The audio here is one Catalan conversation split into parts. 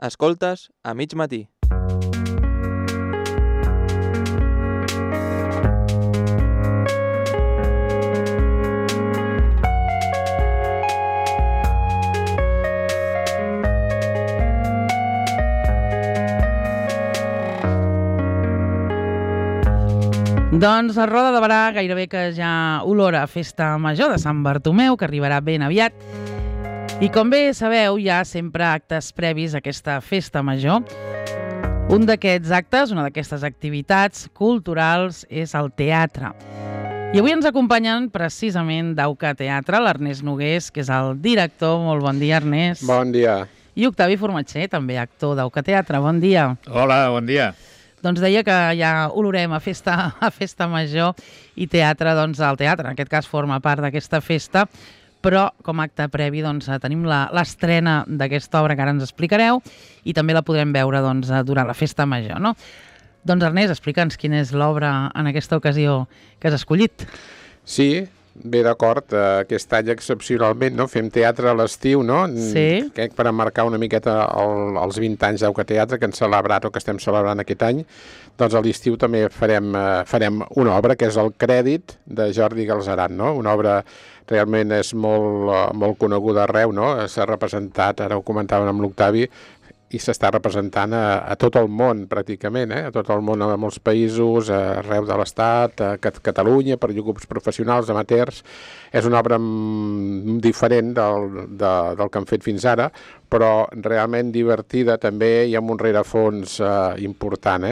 Escoltes a mig matí. Doncs a Roda de Barà gairebé que ja olora a festa major de Sant Bartomeu, que arribarà ben aviat. I com bé sabeu, hi ha sempre actes previs a aquesta festa major. Un d'aquests actes, una d'aquestes activitats culturals, és el teatre. I avui ens acompanyen precisament d'Auca Teatre, l'Ernest Nogués, que és el director. Molt bon dia, Ernest. Bon dia. I Octavi Formatxer, també actor d'Auca Teatre. Bon dia. Hola, bon dia. Doncs deia que ja olorem a festa major i teatre, doncs el teatre, en aquest cas forma part d'aquesta festa, però com a acte previ doncs, tenim l'estrena d'aquesta obra que ara ens explicareu i també la podrem veure doncs, durant la festa major, no? Doncs Ernest, explica'ns quina és l'obra en aquesta ocasió que has escollit. Sí, bé, d'acord, aquest any excepcionalment, no? Fem teatre a l'estiu, no? Sí. Crec per emmarcar una miqueta els 20 anys d'Auca Teatre que hem celebrat o que estem celebrant aquest any, doncs a l'estiu també farem una obra que és el Crèdit de Jordi Galceran, no? Una obra realment és molt coneguda arreu, no? S'ha representat, ara ho comentàvem amb l'Octavi, i s'està representant a tot el món, pràcticament, a tot el món, a molts països, arreu de l'Estat, a Catalunya, per grups professionals, amateurs. És una obra diferent del que han fet fins ara, però realment divertida també i amb un rerefons important.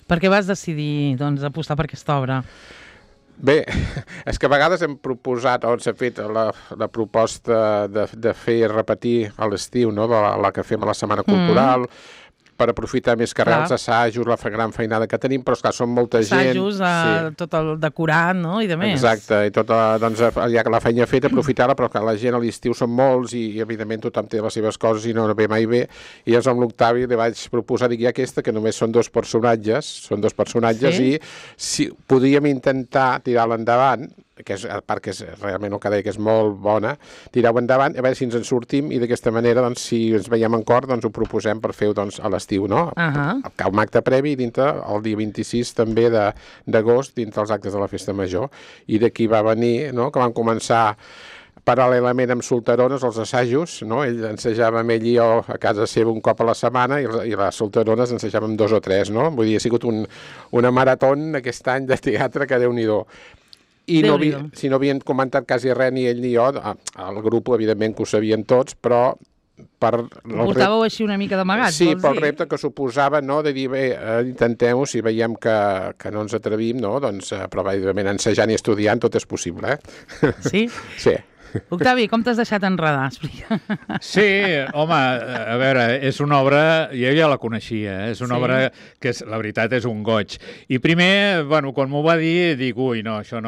Per què vas decidir doncs, apostar per aquesta obra? Bé, és que a vegades hem proposat, o s'ha fet la proposta de fer repetir a l'estiu, no? La que fem a la Setmana Cultural, per aprofitar més que res els assajos, la gran feinada que tenim, però esclar, són molta gent. Assajos, tot el decorat, no? I de més. Exacte, i doncs ja que la feina feta, aprofitar-la, però clar, la gent a l'estiu són molts i evidentment tothom té les seves coses i no ve mai bé. I llavors amb l'Octavi li vaig proposar, dic, aquesta, que només són dos personatges, sí? I si podríem intentar tirar-la endavant, que és, a part que és realment el que deia que és molt bona, tirar-ho endavant, a veure si ens en sortim i d'aquesta manera, doncs, si ens veiem en cor, doncs ho proposem per fer-ho doncs, a l'estiu, no? Un acte previ dintre el dia 26 també d'agost, dintre els actes de la Festa Major. I d'aquí va venir, no?, que van començar paral·lelament amb solterones, els assajos, no? Ell ensejava amb ell i jo a casa seva un cop a la setmana i les solterones ensejàvem 2 o 3, no? Vull dir, ha sigut una marató aquest any de teatre que Déu-n'hi-do. I si no havien comentat quasi res ni ell ni jo, el grup evidentment que ho sabien tots, però ho portàveu així una mica d'amagat, sí, pel repte que suposava, no?, de dir, bé, intentem-ho, si veiem que no ens atrevim, no?, doncs, però evidentment ensejant i estudiant tot és possible, Sí? Sí. Octavi, com t'has deixat enredar? Explica. Sí, home, a veure, és una obra, jo ja la coneixia, és una obra que, la veritat, és un goig. I primer, bueno, quan m'ho va dir, dic, ui, no, això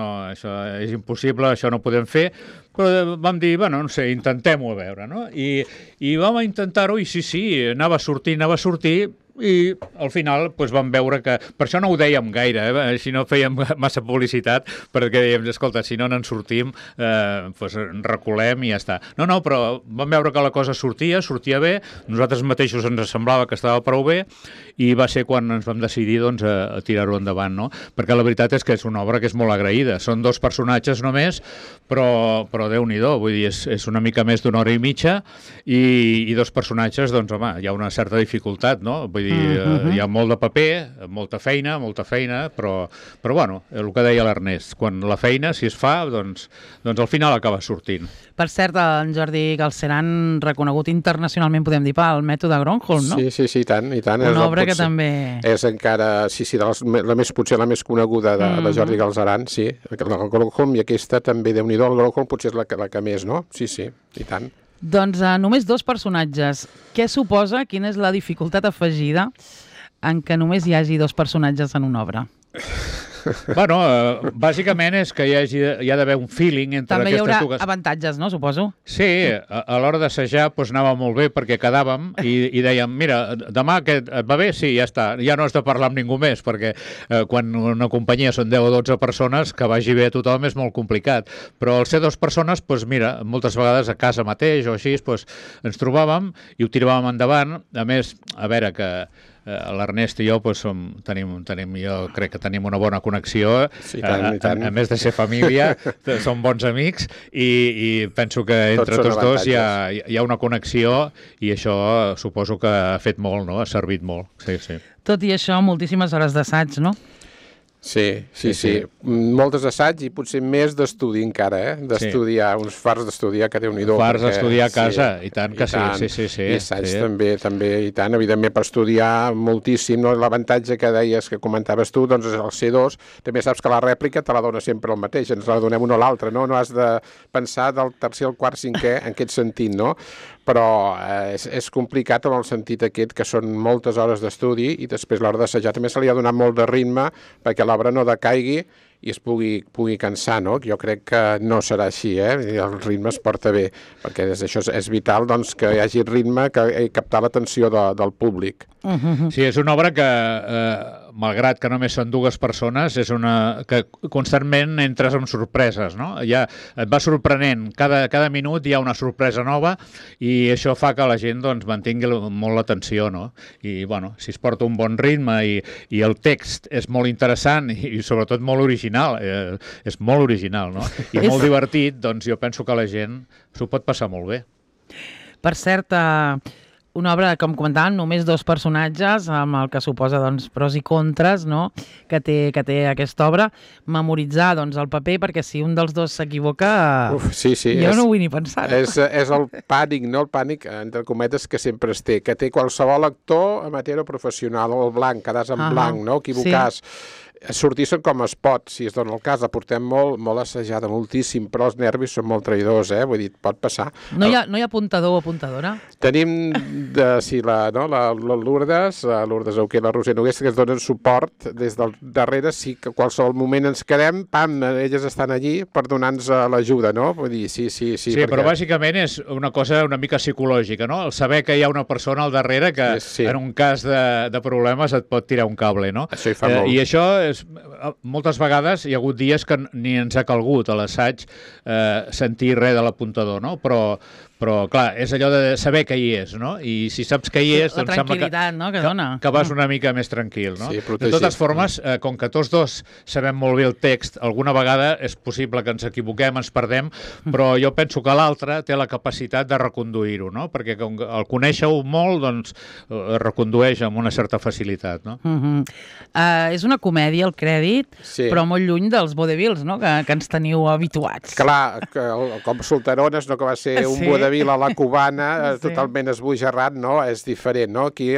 és impossible, això no ho podem fer, però vam dir, bueno, no sé, intentem-ho a veure, no? I vam intentar-ho i sí, anava a sortir, i al final doncs, vam veure que... Per això no ho dèiem gaire, així no fèiem massa publicitat, perquè dèiem, escolta, si no n'en sortim, doncs reculem i ja està. No, però vam veure que la cosa sortia bé, nosaltres mateixos ens semblava que estava prou bé, i va ser quan ens vam decidir doncs, a tirar-ho endavant, no? Perquè la veritat és que és una obra que és molt agraïda. Són 2 personatges només, però Déu-n'hi-do, vull dir, és una mica més d'una hora i mitja, i 2 personatges, doncs, home, hi ha una certa dificultat, no? Vull dir, hi ha molt de paper, molta feina, però bueno, el que deia l'Ernest, quan la feina, si es fa, doncs al final acaba sortint. Per cert, en Jordi Galceran, reconegut internacionalment, podem dir, pel mètode Gronholm, no? Sí, i tant. Una obra que també... És encara, potser la més coneguda de Jordi Galceran, sí. El Gronholm i aquesta també, Déu-n'hi-do, el Gronholm potser és la que més, no? Sí, i tant. Doncs només 2 personatges. Què suposa, quina és la dificultat afegida en què només hi hagi 2 personatges en una obra? Bueno, bàsicament és que hi ha d'haver un feeling entre També hi aquestes haurà dues... avantatges, no? Suposo. Sí, a l'hora d'assajar anava molt bé perquè quedàvem i dèiem, mira, demà et va bé? Sí, ja està. Ja no has de parlar amb ningú més perquè quan una companyia són 10 o 12 persones, que vagi bé a tothom és molt complicat. Però al ser 2 persones, doncs mira, moltes vegades a casa mateix o així, doncs ens trobàvem i ho tiràvem endavant. A més, a veure que l'Ernest i jo jo crec que tenim una bona connexió, sí, tant. A més de ser família, som bons amics i penso que entre tots dos hi ha una connexió i això suposo que ha fet molt, no? Ha servit molt. Sí, sí. Tot i això, moltíssimes hores d'assaig, no? Sí. Moltes assaig i potser més d'estudi encara, d'estudiar, uns fars d'estudiar que Déu-n'hi-do. Fars d'estudiar a casa, i tant que sí. I assaig també, i tant, evidentment per estudiar moltíssim, no? L'avantatge que deies, que comentaves tu, doncs és el C2, també saps que la rèplica te la dona sempre el mateix, ens la donem un o l'altre, no? No has de pensar del tercer al quart, cinquè, en aquest sentit, no? Però és complicat en el sentit aquest que són moltes hores d'estudi i després l'hora d'assajar també se li ha donat molt de ritme perquè l'obra no decaigui i es pugui cansar, no? Jo crec que no serà així, el ritme es porta bé, perquè això és vital doncs, que hi hagi ritme, que captar l'atenció del públic. Sí, és una obra que, malgrat que només són 2 persones, és una que constantment entres amb sorpreses, no? Ja et va sorprenent, cada minut hi ha una sorpresa nova i això fa que la gent doncs, mantingui molt l'atenció, no? I, bueno, si es porta un bon ritme i el text és molt interessant i sobretot molt original, és molt original, no? I molt divertit, doncs jo penso que la gent s'ho pot passar molt bé. Per cert, una obra, com comentàvem, només 2 personatges, amb el que suposa doncs, pros i contres, no? que té aquesta obra. Memoritzar doncs, el paper, perquè si un dels 2 s'equivoca, sí, jo no ho vull ni pensar. És el pànic, no? El pànic, entre cometes, que sempre es té, que té qualsevol actor amateur o professional, o el blanc, quedàs en blanc, no? Equivocar-se. Sí. Sortir com es pot, si es dona el cas, la portem molt assajada, moltíssim, però els nervis són molt traïdors, vull dir, pot passar. No hi ha apuntador o apuntadora? Tenim, la Lourdes Auqué i la Roser Nogués, que es donen suport des del darrere, sí que qualsevol moment ens quedem, elles estan allí per donar-nos l'ajuda, no? Vull dir, sí. Sí, perquè... però bàsicament és una cosa una mica psicològica, no? El saber que hi ha una persona al darrere que en un cas de problemes et pot tirar un cable, no? Això hi fa molt. I això moltes vegades hi ha hagut dies que ni ens ha calgut a l'assaig sentir res de l'apuntador, no? Però, clar, és allò de saber que hi és, no? I si saps que hi és, doncs sembla que dona. Que vas una mica més tranquil, no? Sí, de totes formes, com que tots 2 sabem molt bé el text, alguna vegada és possible que ens equivoquem, ens perdem, però jo penso que l'altre té la capacitat de reconduir-ho, no? Perquè com el conèixer-ho molt, doncs recondueix amb una certa facilitat, no? És una comèdia, el crèdit, però molt lluny dels vodevils, no? Que ens teniu habituats. Clar, com Solterones, no? Que va ser un vodevil a la cubana, totalment esbojarrat, no? És diferent, no? Aquí,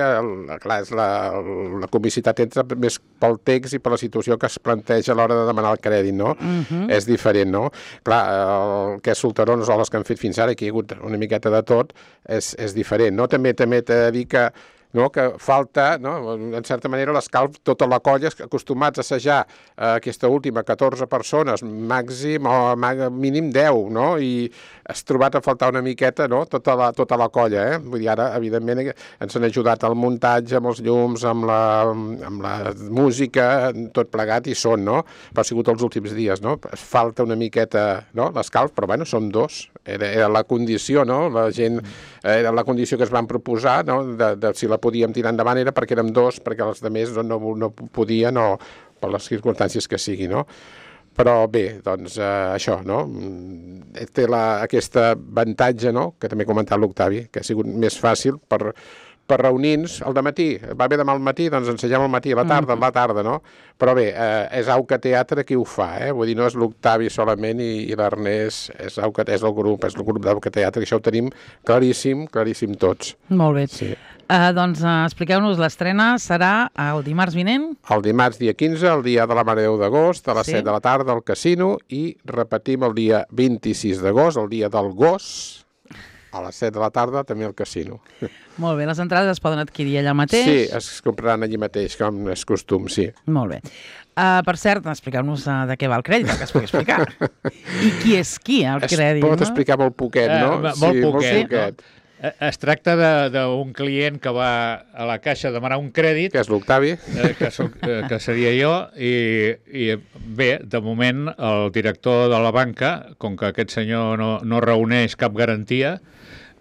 clar, la comicitat entra més pel text i per la situació que es planteja a l'hora de demanar el crèdit, no? És diferent, no? Clar, el que és Solterones o les que han fet fins ara, aquí hi ha hagut una miqueta de tot, és diferent, no? També t'he de dir que falta, en certa manera, l'escalf, tota la colla, acostumats a assajar aquesta última 14 persones, màxim o mínim 10, no? I has trobat a faltar una miqueta, no? Tota la colla, Vull dir, ara, evidentment, ens han ajudat al muntatge, amb els llums, amb la música, tot plegat, i són, no? Però ha sigut els últims dies, no? Falta una miqueta, no? L'escalf, però, bueno, som 2. Era la condició, no? La gent... Era la condició que es van proposar, no? De si la podíem tirar endavant era perquè érem 2, perquè els altres no podien o per les circumstàncies que sigui, no? Però bé, doncs això, no? Té aquest avantatge, no? Que també ha comentat l'Octavi, que ha sigut més fàcil per reunir-nos al matí. Va bé demà al matí, doncs ensegem al matí, a la tarda, no? Però bé, és Auca Teatre qui ho fa, Vull dir, no és l'Octavi solament i l'Ernest, és el grup d'Auca Teatre, que això ho tenim claríssim tots. Molt bé. Sí. Doncs expliqueu-nos, l'estrena serà el dimarts vinent? El dimarts dia 15, el dia de la Mare de Déu d'agost, a les 7 de la tarda al Casino, i repetim el dia 26 d'agost, el dia del gos, a les 7 de la tarda també al casino. Molt bé, les entrades es poden adquirir allà mateix? Sí, es compraran allí mateix, com és costum, sí. Molt bé. Per cert, expliqueu-nos de què va el crèdit, que es pugui explicar. I qui és qui, el crèdit? Es pot explicar molt poquet, no? Molt poquet. poquet. Es tracta d'un client que va a la caixa a demanar un crèdit, Que és l'Octavi. que seria jo, i bé, de moment el director de la banca, com que aquest senyor no reuneix cap garantia,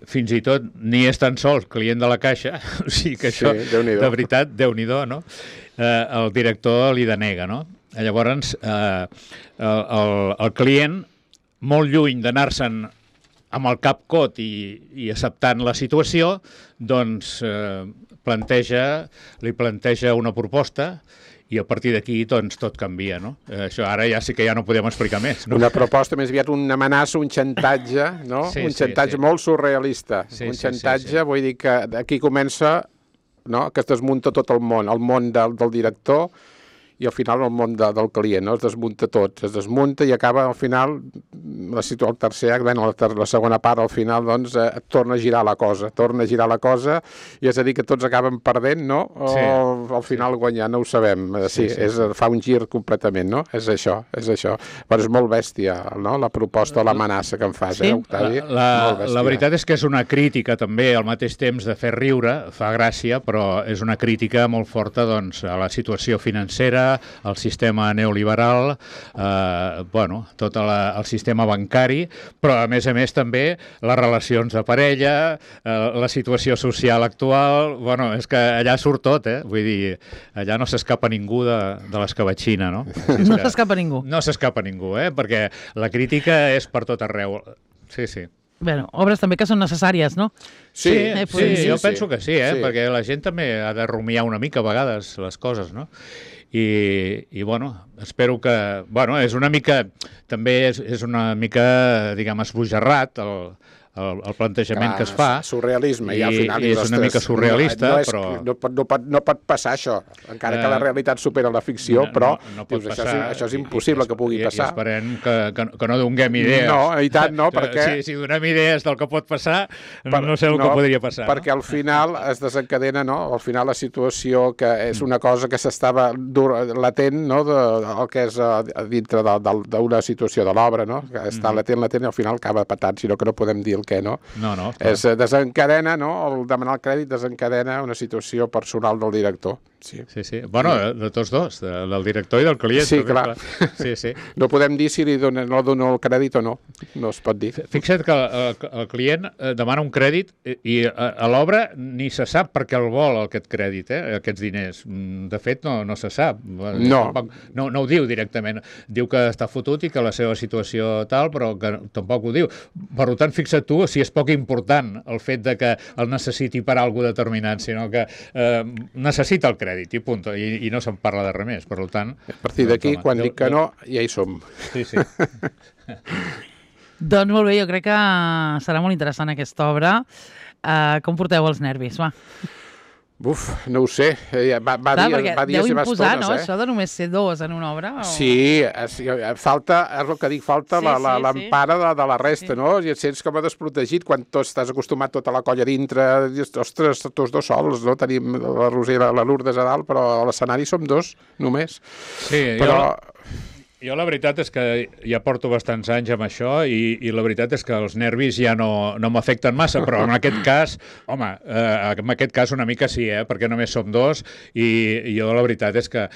fins i tot ni és tan sols client de la caixa, o sigui que això, de veritat, Déu-n'hi-do, no? El director li denega, no? Llavors, el client, molt lluny d'anar-se'n amb el cap cot i acceptant la situació, doncs li planteja una proposta i a partir d'aquí doncs, tot canvia, no? Això ara ja sí que ja no podem explicar més, no? Una proposta més aviat una amenaça, un xantatge, no? Sí, un xantatge molt surrealista. Un xantatge, vull dir que aquí comença, no?, que es desmunta tot el món del director i al final el món del client, no? Es desmunta tot, es desmunta i acaba al final, el tercer acte, la segona part, al final, doncs, torna a girar la cosa, i és a dir que tots acaben perdent, no? O al final guanyant, no ho sabem. Sí, fa un gir completament, no? És això. Però és molt bèstia, no?, la proposta, l'amenaça que em fas, Octavi? La veritat és que és una crítica també, al mateix temps de fer riure, fa gràcia, però és una crítica molt forta, doncs, a la situació financera, el sistema neoliberal, tot el sistema bancari, però a més també les relacions de parella, la situació social actual, és que allà surt tot, vull dir, allà no s'escapa ningú de l'escabatxina, no? No s'escapa ningú. No s'escapa ningú, perquè la crítica és per tot arreu. Sí. Bé, obres també que són necessàries, no? Sí, jo penso que sí, perquè la gent també ha de rumiar una mica a vegades les coses, no? I espero que... és una mica... També és una mica, diguem, esbojarrat el plantejament que es fa. Surrealisme, i al final... I és una mica surrealista, però... No pot passar això, encara que la realitat supera la ficció, però això és impossible que pugui passar. I esperem que no donem idees. No, i tant no, perquè... Si donem idees del que pot passar, no sé el que podria passar. Perquè al final es desencadena, no? Al final la situació, que és una cosa que s'estava latent, no?, el que és dintre d'una situació de l'obra, no?, que està latent, i al final acaba patant, sinó que no podem dir què, no? No. Desencadena, no? El demanar el crèdit desencadena una situació personal del director. Sí. De tots dos, del director i del client. Sí, clar. Sí. No podem dir si no dono el crèdit o no. No es pot dir. Fixa't que el client demana un crèdit i a l'obra ni se sap per què el vol aquest crèdit, aquests diners. De fet, no se sap. No ho diu directament. Diu que està fotut i que la seva situació tal, però que tampoc ho diu. Per tant, fixa't tu si és poc important el fet de que el necessiti per alguna determinat, sinó que necessita el crèdit i punt, i no se'n parla de res més, per tant... A partir d'aquí, quan dic que no, ja hi som. Sí. Doncs molt bé, jo crec que serà molt interessant aquesta obra. Com porteu els nervis, va? Buf, no ho sé. Va dir a deu seves imposar, tones, no? Això de només ser dos en una obra? O... Sí, falta, és el que dic, falta l'empara de la resta, no? I et sents com a desprotegit quan estàs acostumat tota la colla dintre. Ostres, tots dos sols, no? Tenim la Roser i la Lourdes a dalt, però a l'escenari som dos, només. Sí, jo la veritat és que ja porto bastants anys amb això i la veritat és que els nervis ja no m'afecten massa, però en aquest cas, una mica sí, perquè només som dos i jo la veritat és que,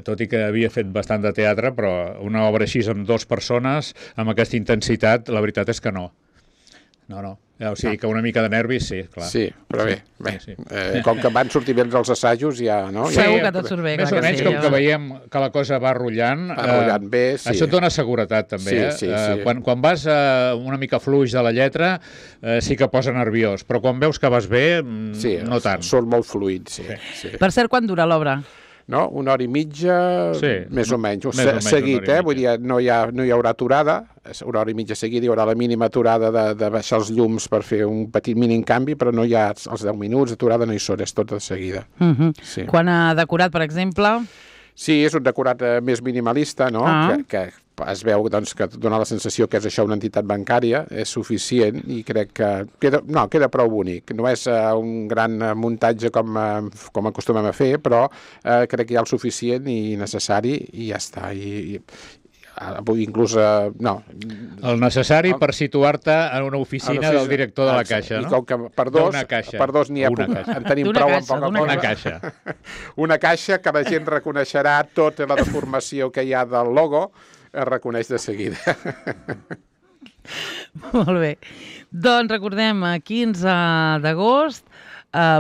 tot i que havia fet bastant de teatre, però una obra així amb 2 persones, amb aquesta intensitat, la veritat és que no. No. O sigui que una mica de nervis, sí, clar. Sí, però bé. Com que van sortir bé els assajos, ja, no? Segur que tot surt bé. Més o menys, com que veiem que la cosa va rotllant, bé, sí. Això et dona seguretat, també. Sí. Quan vas una mica fluix de la lletra, sí que posa nerviós, però quan veus que vas bé, no tant. Són molt fluids, sí. Per cert, quant dura l'obra? No? 1 hora i mitja, més o menys. Seguit, vull dir, no hi haurà aturada, 1 hora i mitja seguida, hi haurà la mínima aturada de baixar els llums per fer un petit mínim canvi, però no hi ha els 10 minuts, aturada no hi són, és tot de seguida. Quan ha decorat, per exemple... Sí, és un decorat més minimalista, no? Que es veu doncs, que dona la sensació que és això una entitat bancària, és suficient i crec que queda prou bonic. No és un gran muntatge com acostumem a fer, però crec que hi ha el suficient i necessari i ja està. Inclús, no. El necessari per situar-te en una oficina del director de la Caixa, no? I com que per dos n'hi ha en tenim prou amb poca cosa. Una caixa. Una caixa que la gent reconeixerà tota la deformació que hi ha del logo, es reconeix de seguida. Molt bé. Doncs recordem, 15 d'agost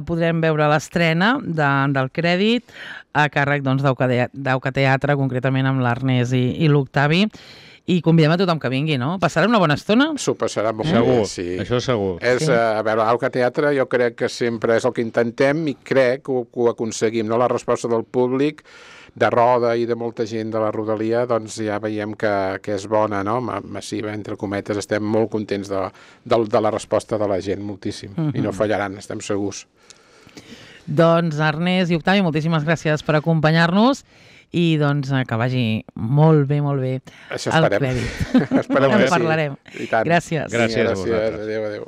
podrem veure l'estrena del Crèdit a càrrec d'Auca Teatre, concretament amb l'Ernest i l'Octavi. I convidem a tothom que vingui, no? Passarem una bona estona? S'ho passarà molt segur, bé, sí. Això segur. A veure, Auca Teatre jo crec que sempre és el que intentem i crec que ho aconseguim, no? La resposta del públic, de Roda i de molta gent de la rodalia, doncs ja veiem que és bona, no? Massiva, entre cometes. Estem molt contents de la resposta de la gent, moltíssim. I no fallaran, estem segurs. Doncs Ernest i Octavi, moltíssimes gràcies per acompanyar-nos i doncs que vagi molt bé això esperem. El Crèdit. En parlarem. Sí. Gràcies. Gràcies a vosaltres. Adéu.